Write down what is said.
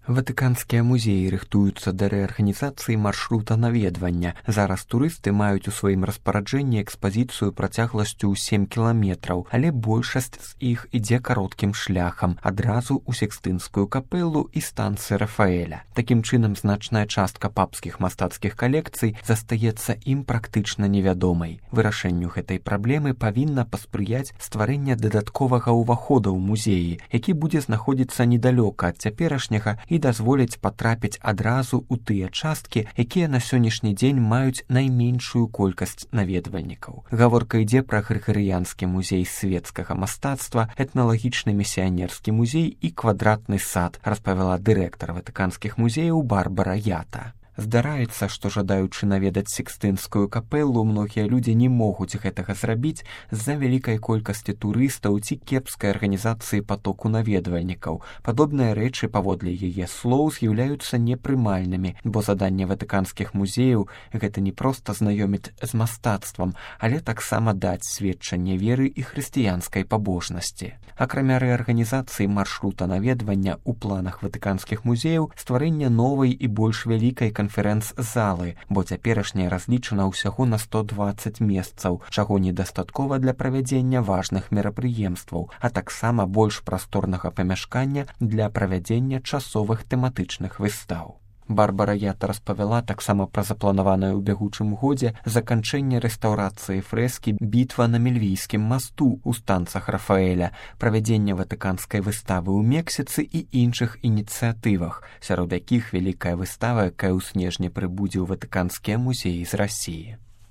Ватыканскія музеі рыхтуюцца да рэарганізацыі маршрута наведвання. Зараз турысты маюць у сваім распараджэнні экспазіцыю працягласцю ў 7 кіламетраў, але большасць з іх ідзе кароткім шляхам, адразу ў Сікстынскую капэлу і станцыі Рафаэля. Такім чынам, значная частка папскіх мастацкіх калекцый застаецца ім практычна невядомай. Вырашэнню гэтай праблемы павінна паспрыяць стварэнне дадатковага ўвахода ў музеі, які будзе знаходзіцца недалёка ад цяперашняга і дазволіць патрапіць адразу ў тыя часткі, якія на сённяшні дзень маюць найменшую колькасць наведвальнікаў. Гаворка ідзе пра Грыгарыянскі музей свецкага мастацтва, этналагічны місіянерскі музей і квадратны сад, распавяла дырэктар ватыканскіх музеяў Барбара Ята. Здараецца, што жадаючы наведаць Сікстынскую капэлу, многія людзі не могуць гэтага зрабіць з-за вялікай колькасці турыстаў ці кепскай арганізацыі патоку наведвальнікаў. Падобныя рэчы, паводле яе слоў, з'яўляюцца непрымальнымі, бо заданне ватыканскіх музеяў гэта не проста знаёміць з мастацтвам, але таксама даць сведчанне веры і хрысціянскай пабожнасці. Акрамя рэарганізацыі маршрута наведвання ў планах ватыканскіх музеяў стварэнне новай і больш вялікай канферэнц-залы, бо цяперашняя разлічана ўсяго на 120 месцаў, чаго недастаткова для правядзення важных мерапрыемстваў, а таксама больш прасторнага памяшкання для правядзення часовых тэматычных выстаў. Барбара Ята распавяла таксама пра запланаванае ў бягучым годзе заканчэнне рэстаўрацыі фрэскі «Бітва на Мельвійскім масту» ў станцах Рафаэля, правядзенне ватыканскай выставы ў Мексіцы і іншых ініцыятывах, сярод якіх вялікая выстава, якая ў снежні прыбудзе ў ватыканскія музеі з Расіі.